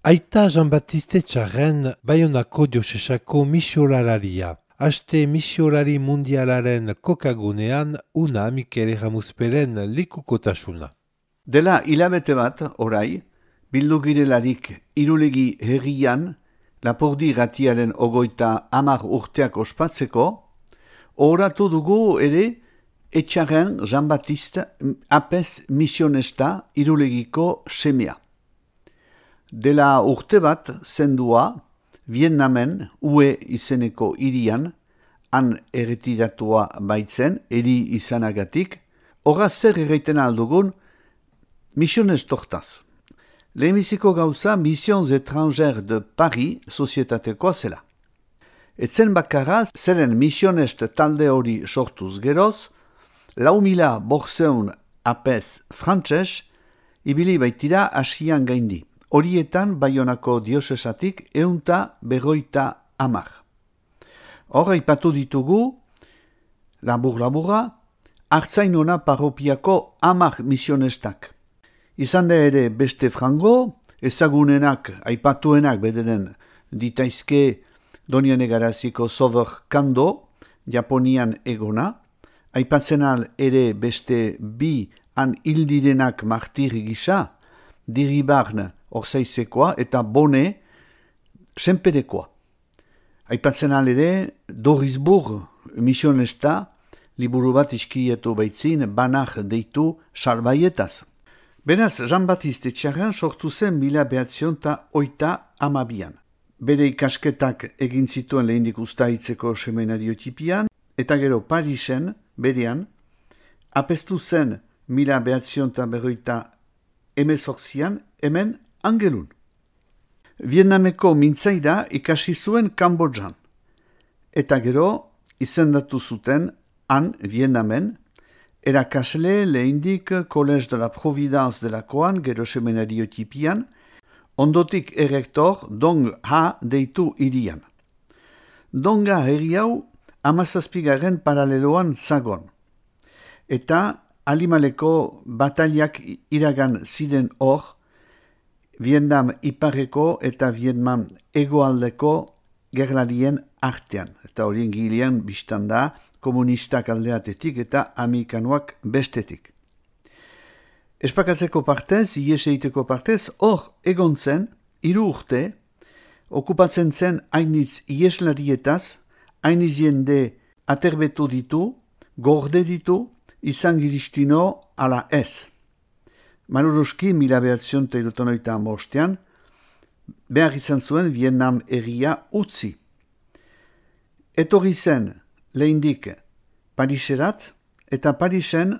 Aita Jean-Baptiste Txarren Baionako diosesako misiolalaria. Aste misiolari mundialaren kokagunean una Mikel Ramuzperen likukotasuna. Dela hilabete bat, orai, bildu girelarik Irulegi herrian, Lapurdi Ratiaren 30 urteak ospatzeko, oratu dugu ere Etxarren Jean-Baptiste apez misionesta Irulegiko semea. Dela urte bat zendua, Vietnamen UE izeneko hirian, han erretiratua baitzen, eri izanagatik, horra zer erraiten aldugun misionestortaz. Lehenbiziko gauza Missions Étrangères de Paris sozietatekoa zela. Etzen bakarra, zeren misionest talde hori sortuz geroz, 4.500 apez frantses ibili baitira asian gaindi. Horietan Baionako diosesatik 150. Hor aipatu ditugu, labur-laburra, Artzainona parropiako 10 misionestak. Izan da ere beste frango, ezagunenak, aipatuenak bederen ditaizke Doniane Garaziko Sover Kando, Japonian egona, aipatzenal ere beste 2 han hildirenak martir gisa, Diribarn Orzaizekoa eta Bone Senperekoa. Aipatzenal ere Dorisburg misionesta, liburu bat iskietu baitzin, banak deitu salbaietaz. Beraz, Jean-Baptiste Txarren sortu zen 1932an. Bere ikasketak egin zituen lehendik ustaitzeko seminariotipian, eta gero Parisen, berean, apestu zen 1948an hemen Angelun. Vietnameko mintzaira ikasi zuen Kambodjan, eta gero izendatu zuten han Vietnamen, erakasle lehendik Collège de la Providence delakoan, gero seminariotipian, ondotik errektor Dong Ha deitu hirian. Donga herri hau 17. paraleloan zagon, eta Alimaleko bataliak iragan ziren hor, Vietnam iparreko eta Vietnam hegoaldeko gerlarien artean, eta horien gilean biztan da komunistak aldeatetik eta amerikanoak bestetik. Espakatzeko partez, ies egiteko partez, hor egon zen, 3 urte, okupatzen zen hainitz ieslarietaz, hainitz jende aterbetu ditu, gorde ditu, izan giristino ala ez. Maluruski 1975an, behar izan zuen Vietnam herria utzi. Etorri zen lehendik Pariserat, eta Parisen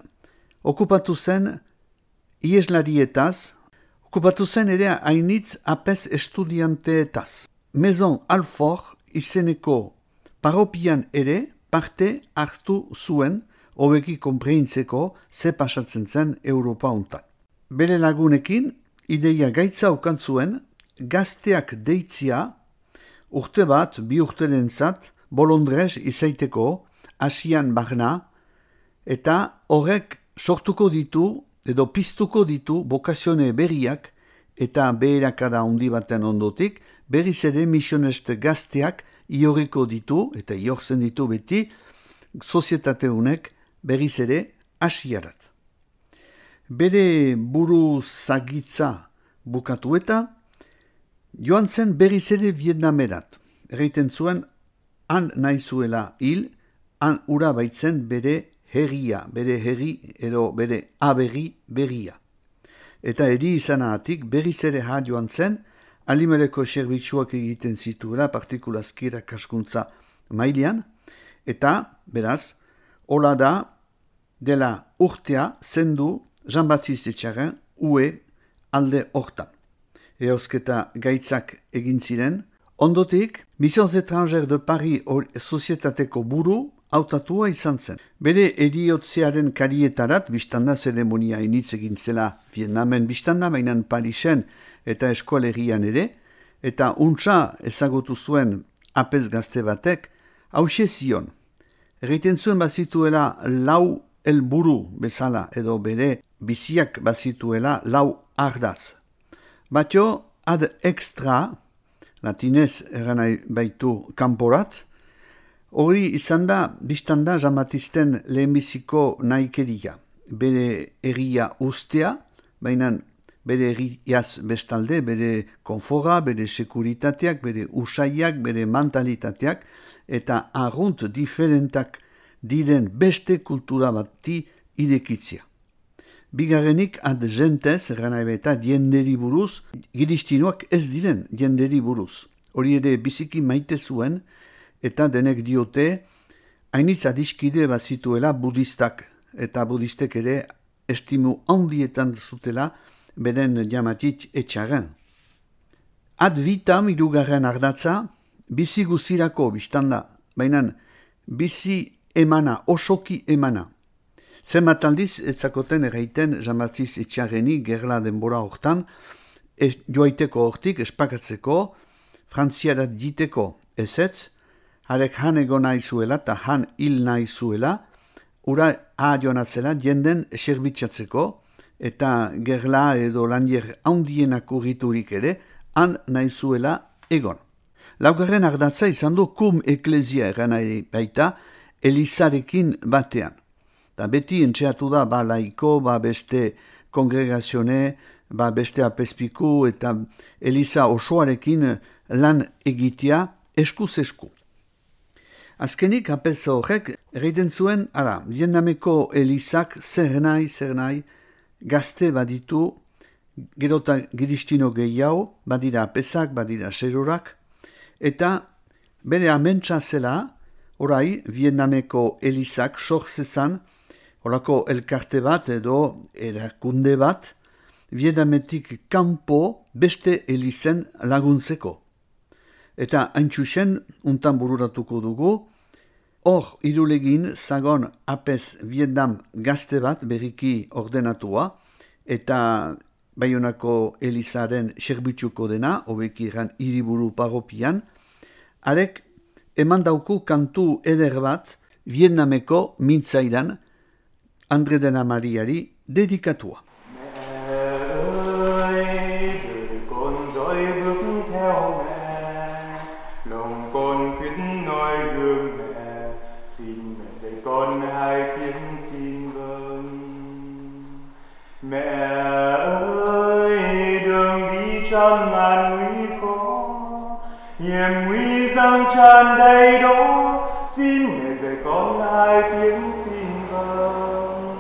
okupatu zen ieslarietaz, okupatu zen ere hainitz apez estudianteetaz. Maison Alfort izeneko paropian ere parte hartu zuen, hobeki konpreintzeko ze pasatzen zen Europa hontan. Bere lagunekin, ideia gaitza okantzuen, gazteak deitzia, urte bat, 2 urterentzat, bolondrez izaiteko, asian barna, eta horrek sortuko ditu, edo piztuko ditu, bokazione berriak, eta beherakada handi baten ondotik, berriz ere misionest gazteak ioriko ditu, eta iorzen ditu beti, sozietate honek berriz ere asiarat. Bere buru zagitza bukatu eta joan zen berriz ere Vietnamerat. Erraiten zuen, han nahi zuela hil, han ura baitzen bere herria, bere herri edo bere aberri berria. Eta eri izanagatik berriz ere joan zen, Alimeleko zerbitzuak egiten zituela partikulazkira kaskuntza mailean, eta, beraz, hola da, dela urtea zendu Jean-Baptiste Txarren UE alde hortan. Eosketa gaitzak egin ziren, ondotik, Missions Étrangères de Paris sozietateko buru hautatua izan zen. Bere eriotzearen karietarat, biztanda zeremonia initz egin zela Vietnamen biztanda, mainan Parisen eta eskualerian ere, eta untsa ezagutu zuen apez gazte batek, hause zion. Erraiten zuen bazituela 4 helburu bezala edo bere biziak bazituela 4 ardaz. Batio, ad extra, latinez eranai baitu kanporat, hori izan da, biztan da Jean-Baptisten lehenbiziko nahikeria. Bere egia ustea, baina bere egiaz bestalde, bere konfora, bere sekuritateak, bere usaiak, bere mentalitateak, eta arrunt diferentak diren beste kultura bati irekitzia. Bigarrenik ad gentes, eta dienderi buruz, giristinoak ez diren dienderi buruz. Hori ere biziki maite zuen, eta denek diote, hainitz adiskide bazituela budistak, eta budistek ere estimu handietan zutela beren jamatit etxaren. Ad vitam hirugarren ardatza, bizi guzirako biztanda, baina bizi emana, osoki emana. Zenbat aldiz etzakoten erraiten Jean-Baptiste etxarreni gerla denbora hortan, joaiteko hortik espakatzeko, frantziarat diteko ezetz, harek han ego nahi zuela eta han hil nahi zuela, ura joanatzela jenden serbitzatzeko, eta gerla edo landier handienak urriturik ere, han nahi zuela egon. Laugarren ardatza izan du kum eklezia eranai baita, elizarekin batean. Da beti entxeatu da ba laiko, ba beste kongregazione, ba beste apezpiku eta eliza osoarekin lan egitea eskuz esku. Azkenik apez horrek erraiten zuen, Vietnameko elizak zer nahi, gazte baditu, gerota giristino gehiago, badira apezak, badira serorak, eta bere amentsa zela, orai Vietnameko elizak sortzezan, horako elkarte bat edo erakunde bat, Vietnametik kanpo beste elizen laguntzeko. Eta haintxusen untan bururatuko dugu, hor irulegin zagon apez Vietnam gazte bat berriki ordenatua, eta Baionako elizaren serbitzuko dena, hobeki eran hiriburu paropian, arek eman dauku kantu eder bat Vietnameko mintzaidan Andre de la Mariari dedikatua. Con hai tiếng xin vâng. Mẹ ơi, đường đi trong ngàn nguy khó, hiểm nguy giăng tràn đầy đó, xin mẹ dạy con hai tiếng xin vâng.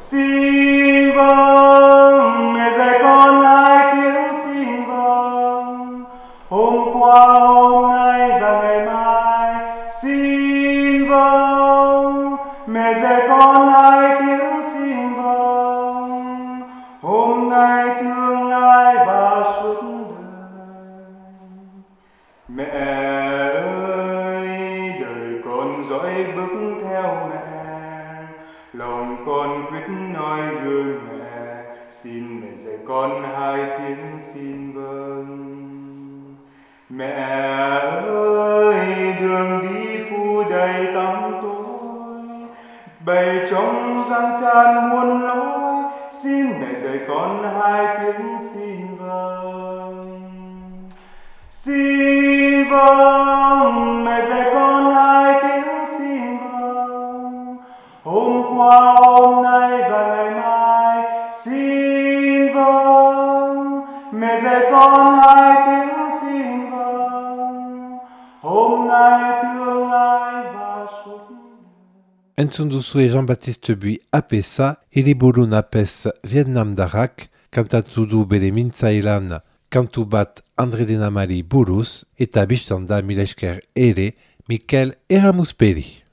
Xin vâng, mẹ dạy con hai tiếng xin vâng. Hôm qua, hôm nay và ngày mai, xin vâng, mẹ dạy con hai tiếng xin vâng. Hôm nay tương lai và suốt đời. Mẹ ơi, đời con dõi bước theo mẹ, lòng con quyết nói gương mẹ, xin mẹ dạy con hai tiếng xin vâng. Mẹ ơi, đường đi phu đầy tăm tối, bầy trống răng tràn muôn lối, xin mẹ dạy con hai tiếng xin vâng. Xin vâng, mẹ dạy con hai tiếng xin vâng. Hôm qua, hôm nay và ngày mai, xin vâng, mẹ dạy con hai tiếng xin vâng. Hôm nay tương lai và suốt. Entzun duzue Jean-Baptiste Buy apesa, hiriburun apez Vietnam darrak, kantatu du bere mintzailan kantu bat Andre de la Mari buruz, eta biztanda milesker ere Mikel Eramusperi.